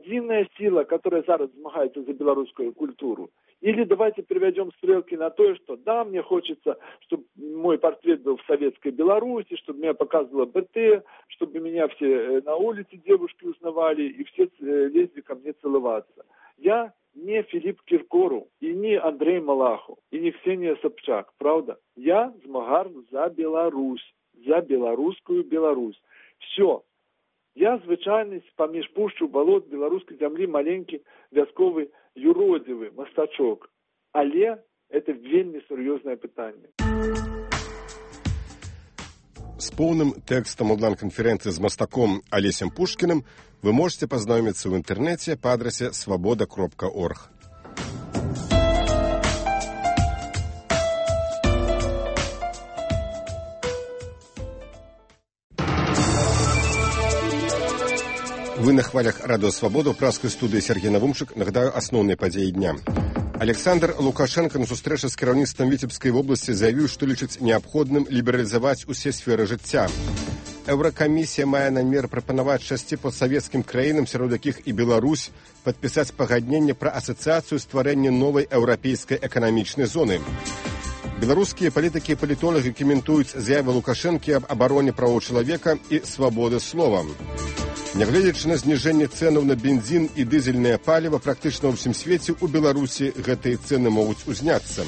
единая сила, которая зараз змагается за белорусскую культуру. Или давайте переведем стрелки на то, что да, мне хочется, чтобы мой портрет был в советской Беларуси, чтобы меня показывало БТ, чтобы меня все на улице девушки узнавали и все лезли ко мне целоваться. Я не Филипп Киркоров, и не Андрей Малахов, и не Ксения Собчак, правда? Я змагар за Беларусь, за белорусскую Беларусь. Все. Я звычайный поміж пушчу болот белорусской земли маленький вязковый юродивый мастачок. Але это вельмі сур'ёзнае пытанне. С полным текстом онлайн-конференции с мастаком Олесем Пушкиным вы можете познакомиться в интернете по адресе svoboda.org. Вы на хвалях Радио Свобода, в праской студии Сергей Навумчик. Нагадаю основные подеи дня. Александр Лукашенко на сустрэчы з кіраўніцтвам Віцебскай вобласці заявіў, што лічыць неабходным лібералізаваць усе сферы жыцця. Еўракамісія мае намер прапанаваць 6 постсавецкім краінам, сярод якіх і Беларусь, падпісаць пагадненне пра асацыяцыю стварэння новай еўрапейскай эканамічнай зоны. Беларускія палітыкі і палітолагі каментуюць заявы Лукашэнкі аб абароне правоў чалавека і свабоды слова. Нягледзячы на зніжэнне цэнаў на бензін і дызельнае паліва, практычна ва ўсім свеце ў Беларусі гэтыя цэны могуць узняцца.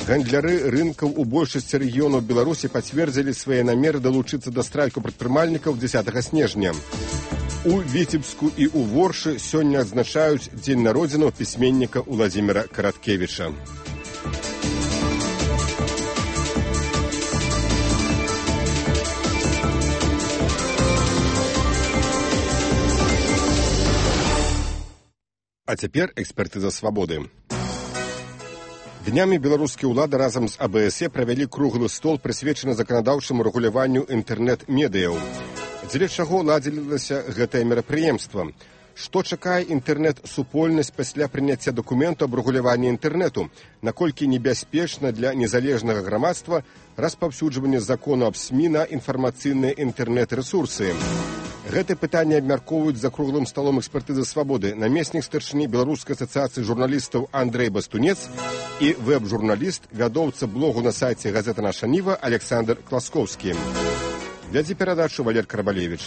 Гандляры рынкаў у большасці рэгіёнаў Беларусі пацвердзілі свае намеры далучыцца да страйку прадпрымальнікаў 10 снежня. У Віцебску і ў Воршы сёння адзначаюць дзень народзінаў пісьменніка Уладзіміра Караткевіча. А цяпер экспертыза свабоды. Днямі беларускія ўлады разам з АБСЕ правялі круглы стол, прысвечаны заканадаўчаму рэгуляванню інтэрнэт-медыяў. Дзеля чаго ладзілася гэтае мерапрыемства? Што чакае інтэрнэт-супольнасць пасля прыняцця дакументу аб рэгуляванні інтэрнэту? Наколькі небяспечна для незалежнага грамадства распаўсюджванне закону аб СМІ на інфармацыйныя інтэрнэт-рэсурсы? Гэтае пытанне абмяркоўваюць за круглым сталом экспертызы свабоды намеснік старшыні Беларускай асацыяцыі журналістаў Андрэй Бастунец і вэб-журналіст, вядоўца блогу на сайце газеты «Наша Ніва» Александр Класкоўскі. Вядзе перадачу Валер Карабалевіч.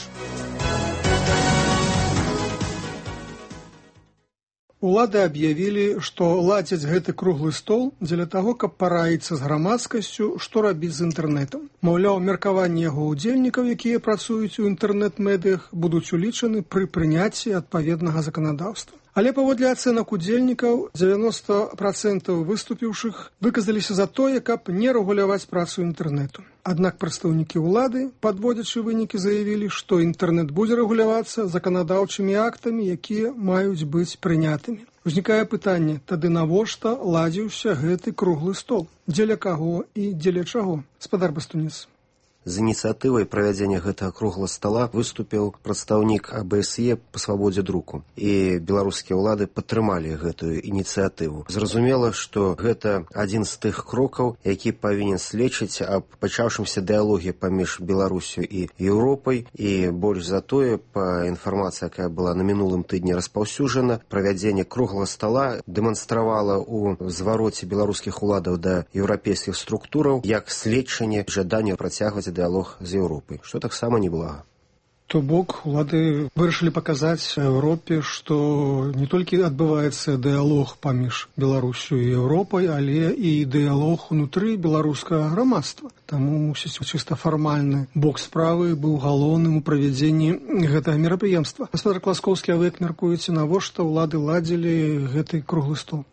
Улады аб'явілі, што ладзяць гэты круглы стол дзеля таго, каб параіцца з грамадскасцю, што рабіць з інтэрнэтам. Маўляў, меркаванні яго ўдзельнікаў, якія працуюць у інтэрнэт-медыях, будуць улічаны пры прыняцці адпаведнага заканадаўства. Але паводле ацэнак удзельнікаў, 90% выступіўшых выказаліся за тое, каб не рэгуляваць працу інтэрнэту. Аднак прадстаўнікі ўлады, падводзячы вынікі, заявілі, што інтэрнэт будзе рэгулявацца заканадаўчымі актамі, якія маюць быць прынятымі. Узнікае пытанне, тады навошта ладзіўся гэты круглы стол? Дзеля каго і дзеля чаго? Спадар Бастунец. З ініцыятывай правядзення гэтага круглага стала выступіў прадстаўнік АБСЕ па свабодзе друку. І беларускія ўлады падтрымалі гэтую ініцыятыву. Зразумела, што гэта адзін з тых крокаў, які павінен сведчыць аб пачаўшымся дыялоге паміж Беларусю і Еўропай. І больш за тое, па інфармацыі, якая была на мінулым тыдні распаўсюджана, правядзенне круглага стала дэманстравала ў звароце беларускіх уладаў да еўрапейскіх структураў як сведчанне жадання працягваць дыялог з Еўропай, што таксама неблага. То бок, улады вырашылі паказаць Еўропе, што не толькі адбываецца дыялог паміж Беларусю і Еўропай, але і дыялог унутры беларускага грамадства. Таму, мусіць, чыста фармальны бок справы быў галоўным у правядзенні гэтага мерапрыемства. Гаспадар Класкоўскі, а вы як мяркуеце, навошта ўлады ладзілі гэты круглы стол?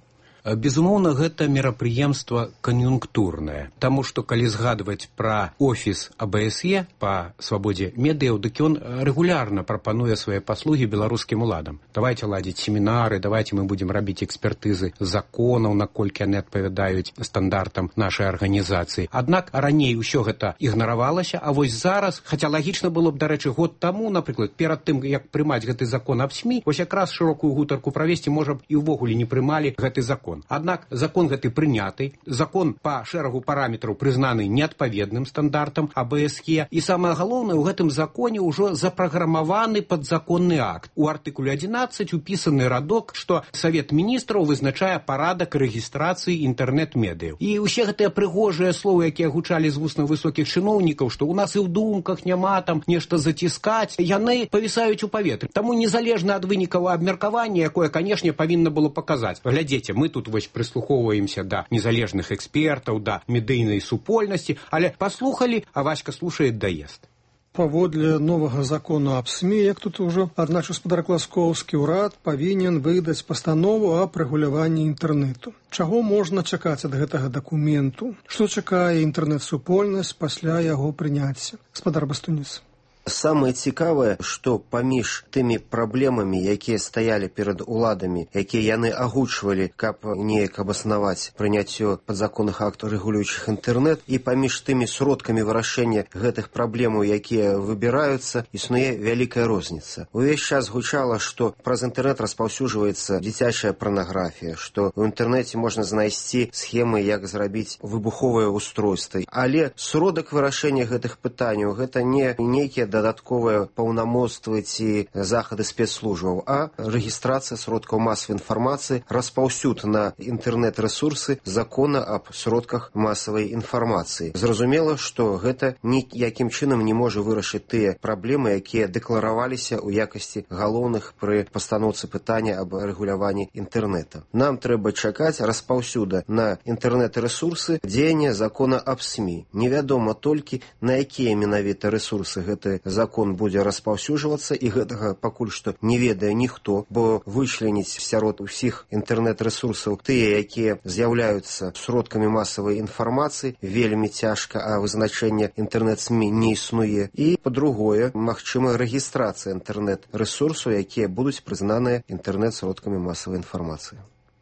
Безумоўна, гэта мерапрыемства кан'юнктурнае, таму што калі згадваць пра офіс АБСЕ па свабодзе медыяў, дык ён рэгулярна прапануе свае паслугі беларускім уладам. Давайце ладзіць семінары, давайце мы будзем рабіць экспертызы законаў, наколькі яны адпавядаюць стандартам нашай арганізацыі. Аднак раней усё гэта ігнаравалася, а вось зараз, хаця лагічна было б, дарэчы, год таму, напрыклад, перад тым, як прымаць гэты закон аб СМІ, вось якраз шырокую гутарку правесці, можа б і ўвогуле не прымалі гэты закон. закон. Аднак закон гэты прыняты, закон па шэрагу параметраў прызнаны неадпаведным стандартам АБСЕ, і самае галоўнае, у гэтым законе ўжо запраграмаваны падзаконны акт. У артыкуле 11 упісаны радок, што Савет міністраў вызначае парадак рэгістрацыі інтэрнэт-медыяў. І ўсе гэтыя прыгожыя словы, якія гучалі з вуснаў высокіх чыноўнікаў, што ў нас і ў думках няма там нешта заціскаць, яны павісаюць у паветры. Таму незалежна ад вынікаў абмеркавання, якое, канешне, павінна было паказаць. Глядзіце, мы тут вось прыслухоўваемся да незалежных экспертаў, да медыйнай супольнасці, але паслухалі, а Васька слушает, даест. Паводле новага закону аб СМІ, як тут ужо адначы гаспадар Класкоўскі, ўрад павінен выдаць пастанову аб рэгуляванні інтэрнэту. Чаго можна чакаць ад гэтага дакументу? Што чакае інтэрнэт-супольнасць пасля яго прыняцця? Гаспадар Бастуніц. Самае цікавае, што паміж тымі праблемамі, якія стаялі перад уладамі, якія яны агучвалі, каб неяк абаснаваць прыняццё падзаконных актаў, рэгулюючых інтэрнэт, і паміж тымі сродкамі вырашэння гэтых праблемаў, якія выбіраюцца, існуе вялікая розніца. Увесь час гучала, што праз інтэрнэт распаўсюджваецца дзіцячая парнаграфія, што ў інтэрнэце можна знайсці схемы, як зрабіць выбуховыя устройствы. Але сродак вырашэння гэтых пытанняў гэта не нейкія дадатковыя паўнамоцтвы ці захады спецслужбаў, а рэгістрацыя сродкаў масавай інфармацыі, распаўсюд на інтэрнэт-рэсурсы закона аб сродках масавай інфармацыі. Зразумела, што гэта ніякім чынам не можа вырашыць тыя праблемы, якія дэклараваліся ў якасці галоўных пры пастаноўцы пытання аб рэгуляванні інтэрнэта. Нам трэба чакаць распаўсюда на інтэрнэт-рэсурсы дзеяння закона аб СМІ. Невядома толькі, на якія менавіта рэсурсы гэты закон будзе распаўсюджвацца, і гэтага пакуль што не ведае ніхто, бо вычленіць сярод усіх інтэрнэт-рэсурсаў тыя, якія з'яўляюцца сродкамі масавай інфармацыі, вельмі цяжка, а вызначэнне інтэрнэт-СМІ не існуе. І, па-другое, магчыма рэгістрацыя інтэрнэт-рэсурсаў, якія будуць прызнаныя інтэрнэт-сродкамі масавай інфармацыі.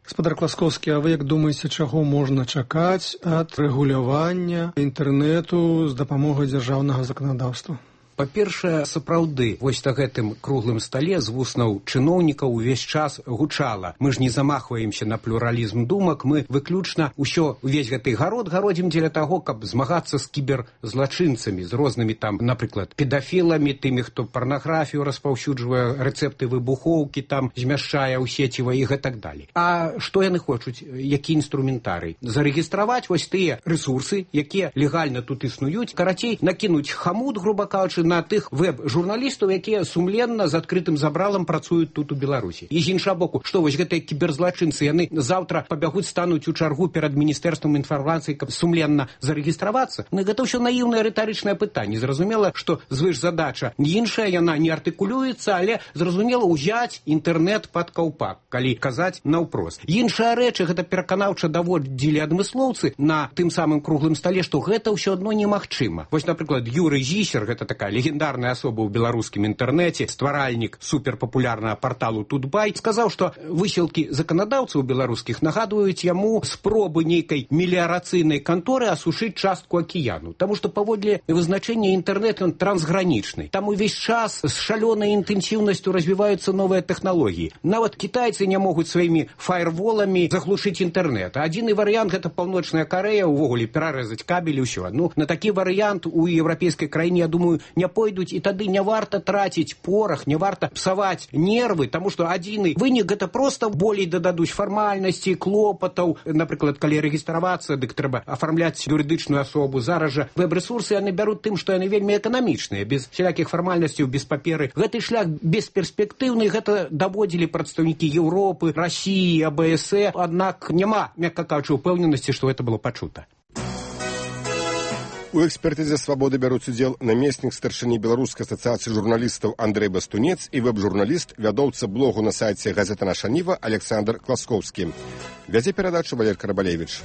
Гаспадар Класкоўскі, а вы як думаеце, чаго можна чакаць ад рэгулявання інтэрнэту з дапамогай дзяржаўнага заканадаўства? Па-першае, сапраўды, вось на гэтым круглым стале з вуснаў чыноўнікаў увесь час гучала. Мы ж не замахваемся на плюралізм думак, мы выключна увесь гэты гарод гародзім дзеля таго, каб змагацца з кіберзлачынцамі, з рознымі там, напрыклад, педафіламі, тымі, хто парнаграфію распаўсюджвае, рэцэпты выбухоўкі там змяшчае ў сеціва і гэтак далей. А што яны хочуць? Які інструментарый? Зарэгістраваць вось тыя рэсурсы, якія легальна тут існуюць, карацей, накінуць хамут, груба кажучы, на тых веб-журналістаў, якія сумленна з адкрытым забралам працуюць тут у Беларусі. І з іншага боку, што вось гэтыя кіберзлачынцы, яны заўтра пабягуць, стануць у чаргу перад міністэрствам інфармацыі, каб сумленна зарэгістравацца? Ну, гэта ўсё наіўнае рытарычнае пытанне. Зразумела, што звышзадача іншая, яна не артыкулюецца, але зразумела ўзяць інтэрнэт пад каўпак, калі казаць наўпрост. Іншая рэч, гэта пераканаўча даводзілі адмыслоўцы на тым самым круглым стале, што гэта ўсё адно немагчыма. Вось, напрыклад, Юрый Зісер, гэта такая легендарная асоба ў беларускім інтэрнэце, стваральнік суперпапулярнага парталу Тутбай, сказаў, што высілкі заканадаўцаў беларускіх нагадваюць яму спробы нейкай меліярацыйнай канторы асушыць частку акіяну. Таму што паводле вызначэння інтэрнэт ён трансгранічны. Там увесь час з шалёнай інтэнсіўнасцю развіваюцца новыя тэхналогіі. Нават кітайцы не могуць сваімі фаерволамі заглушыць інтэрнэт. Адзіны варыянт — гэта Паўночная Карэя, увогуле перарэзаць кабель і ўсё. Ну, на такі варыянт у еўрапейскай краіне, я думаю, не пойдуць, і тады не варта траціць порах, не варта псаваць нервы, таму што адзіны вынік — гэта проста болей дададуць фармальнасці, клопатаў. Напрыклад, калі рэгістравацца, дык трэба афармляць юрыдычную асобу. Зараз жа вэб-рэсурсы яны бяруць тым, што яны вельмі эканамічныя, без всялякіх фармальнасцяў, без паперы. Гэты шлях бесперспектыўны, гэта даводзілі прадстаўнікі Еўропы, Расіі, АБСЕ, аднак няма, мякка кажучы, упэўненасці, што гэта было пачута. У экспертызе «Свабоды» бяруць удзел намеснік старшыні Беларускай асацыяцыі журналістаў Андрэй Бастунец і вэб-журналіст, вядоўца блогу на сайце газета «Наша Ніва» Александр Класкоўскі. Вядзе перадачу Валер Карабалевіч.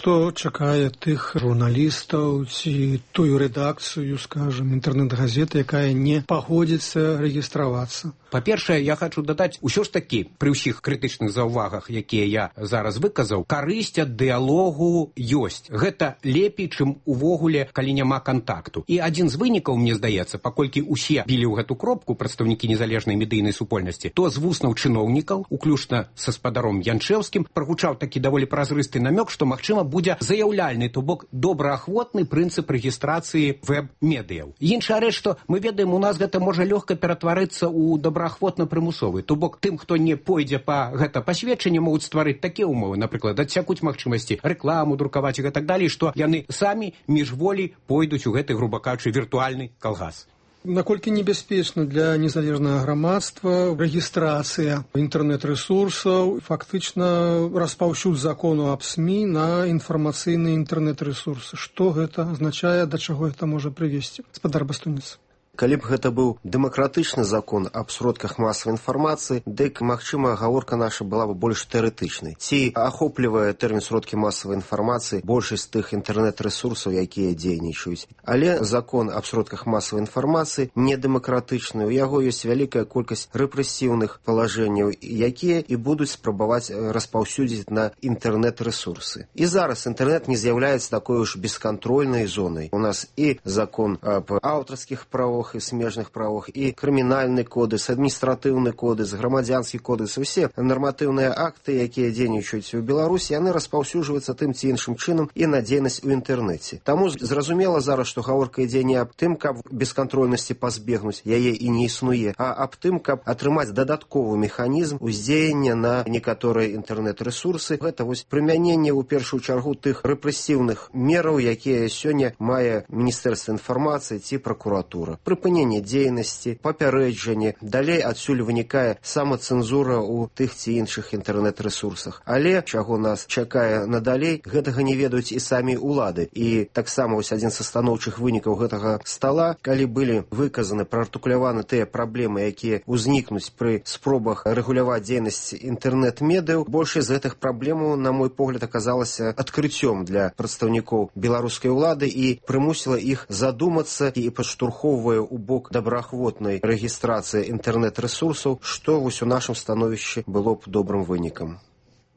Што чакае тых журналістаў ці тую рэдакцыю, скажем, інтэрнэт-газеты, якая не пагодзіцца рэгістравацца? Па-першае, я хочу дадаць, усё ж такі, пры ўсіх крытычных заўвагах, якія я зараз выказаў, карысць ад дыялогу ёсць. Гэта лепей, чым увогуле, калі няма кантакту. І адзін з вынікаў, мне здаецца, паколькі ўсе білі ў гэту кропку прадстаўнікі незалежнай медыйнай супольнасці, то з вуснаў чыноўнікаў, уключна са спадаром Янчэўскім, прагучаў такі даволі празрысты намёк, што, магчыма, будзе заяўляльны, то бок добраахвотны прынцып рэгістрацыі вэб-медыяў. Іншая рэч, што мы ведаем, у нас гэта можа лёгка ператварыцца ў добраахвотна-прымусовы. То бок тым, хто не пойдзе па гэта пасведчанне, могуць стварыць такія ўмовы, напрыклад, адсякуць магчымасці рэкламу друкаваць і гэтак далей, што яны самі міжволі пойдуць у гэты, груба кажучы, віртуальны калгас. Наколькі небяспечна для незалежнага грамадства рэгістрацыя інтэрнэт-рэсурсаў, фактычна распаўсюд закону аб СМІ на інфармацыйныя інтэрнэт-рэсурсы? Што гэта азначае, да чаго гэта можа прывесці? Спадар Бастунец. Калі б гэта быў дэмакратычны закон аб сродках масавай інфармацыі, дык, магчыма, гаворка наша была б больш тэарэтычнай. Ці ахоплівае тэрмін сродкі масавай інфармацыі большасць тых інтэрнэт-рэсурсаў, якія дзейнічаюць. Але закон аб сродках масавай інфармацыі не дэмакратычны. У яго ёсць вялікая колькасць рэпрэсіўных палажэнняў, якія і будуць спрабаваць распаўсюдзіць на інтэрнэт-рэсурсы. І зараз інтэрнэт не з'яўляецца такой уж бескантрольнай зонай. У нас і закон аб аўтарскіх правах, і смежных правах, і крымінальны кодекс, адміністратыўны кодекс, грамадзянскі кодекс, усе нарматыўныя акты, якія дзейнічаюць у Беларусі, яны распаўсюджваюцца тым ці іншым чынам і на дзейнасць у інтэрнэце. Таму зразумела зараз, што гаворка ідзе не аб тым, каб бескантрольнасці пазбегнуць, яе і не існуе, а аб тым, каб атрымаць дадатковы механізм уздзеяння на некаторыя інтэрнэт-рэсурсы. Гэта вось прымяненне ў першую чаргу тых рэпрэсіўных мераў, якія сёння мае Міністэрства інфармацыі ці пракуратура. Прыпыненне дзейнасці, папярэджанне, далей адсюль вынікае самацэнзура ў тых ці іншых інтэрнэт-рэсурсах. Але чаго нас чакае надалей, гэтага не ведаюць і самі ўлады. І таксама вось адзін са станоўчых вынікаў гэтага стала, калі былі выказаны, праартыкуляваны тыя праблемы, якія ўзнікнуць пры спробах рэгуляваць дзейнасць інтэрнэт-медыяў, большасць з гэтых праблемаў, на мой погляд, аказалася адкрыццём для прадстаўнікоў беларускай улады і прымусіла іх задумацца і падштурхоўвае у бок добраахвотнай рэгістрацыі інтэрнэт-рэсурсаў, што вось у нашым становішчы было б добрым вынікам.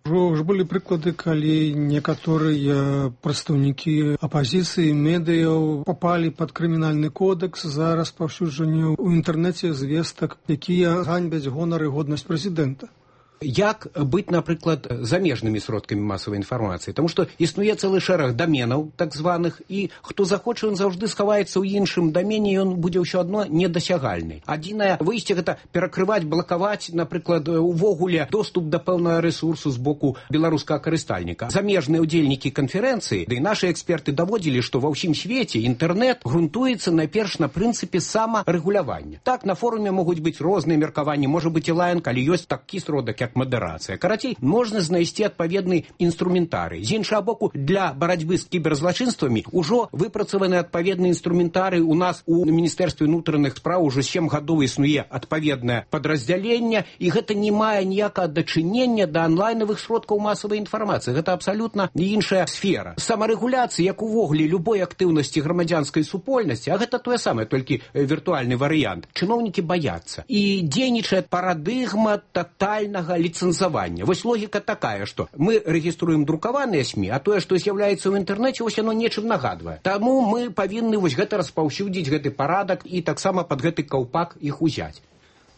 Ўжо былі прыклады, калі некаторыя прадстаўнікі апазіцыі, медыяў папалі пад крымінальны кодекс за распаўсюджанне ў інтэрнэце звестак, якія ганьбяць гонар і годнасць прэзідэнта. Як быць, напрыклад, замежнымі сродкамі масавай інфармацыі? Таму што існуе цэлы шэраг даменаў, так званых, і хто захоча, ён заўжды схаваецца ў іншым дамене, ён будзе ўсё адно недасягальны. Адзінае выйсце гэта перакрываць, блакаваць, напрыклад, увогуле доступ да пэўнага рэсурсу з боку беларускага карыстальніка. Замежныя ўдзельнікі канферэнцыі, ды і нашы эксперты даводзілі, што ва ўсім свеце інтэрнэт грунтуецца найперш на прынцыпе самарэгулявання. Так, на форуме могуць быць розныя меркаванні, можа быць і лаян, калі ёсць такі сродак, як мадэрацыя. Карацей, можна знайсці адпаведны інструментарый. З іншага боку, для барацьбы з кіберзлачынствамі ўжо выпрацаваны адпаведны інструментарый. У нас у Міністэрстве ўнутраных спраў ужо 7 гадоў існуе адпаведнае падраздзяленне, і гэта не мае ніякага дачынення да онлайнавых сродкаў масавай інфармацыі. Гэта абсалютна іншая сфера. Самарэгуляцыя, як увогуле любой актыўнасці грамадзянскай супольнасці, а гэта тое самае, толькі віртуальны варыянт, чыноўнікі баяцца. І дзейнічае парадыгма татальнага ліцэнзавання. Вось логіка такая, што мы рэгіструем друкаваныя СМІ, а тое, што з'яўляецца ў інтэрнэце, вось яно нечым нагадвае. Таму мы павінны вось гэта распаўсюдзіць, гэты парадак, і таксама пад гэты каўпак іх узяць.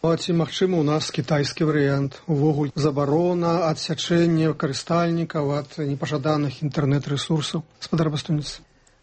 А ці магчыма ў нас кітайскі варыянт? Увогуле забарона, адсячэнне карыстальнікаў ад непажаданых інтэрнэт-рэсурсаў? Спадар Бастунец.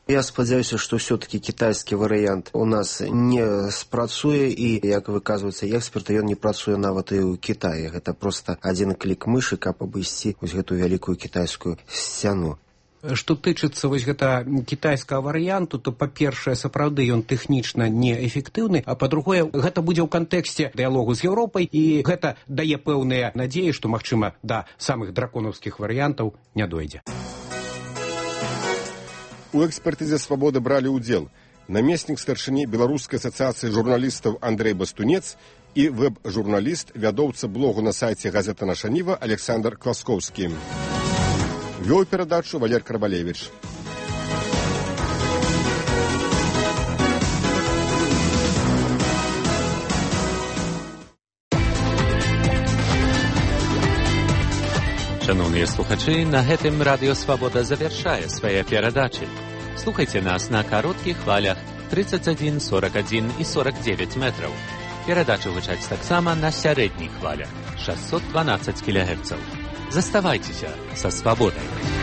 Я спадзяюся, што ўсё-такі кітайскі варыянт у нас не спрацуе, і, як выказваюцца эксперты, ён не працуе нават і ў Кітаі. Гэта проста адзін клік мышы, каб абысці вось гэтую вялікую кітайскую сцяну. Што тычыцца вось гэта кітайскага варыянту, то, па-першае, сапраўды ён тэхнічна неэфектыўны, а па-другое, гэта будзе ў кантэксце дыялогу з Еўропай, і гэта дае пэўныя надзеі, што, магчыма, да самых драконаўскіх варыянтаў не дойдзе. У экспертызе «Свабода» бралі ўдзел намеснік старшыні Беларускай асацыяцыі журналістаў Андрэй Бастунец і вэб-журналіст, вядоўца блогу на сайце газета «Наша Ніва» Александр Класкоўскі. Вёў перадачу Валер Карбалевіч. Шановныя слухачы, на гэтым Радыё Свабода завяршае свае перадачы. Слухайце нас на кароткіх хвалях 31, 41 і 49 метраў. Перадачы гучаць таксама на сярэдніх хвалях 612 кГц. Заставайцеся са свабодай.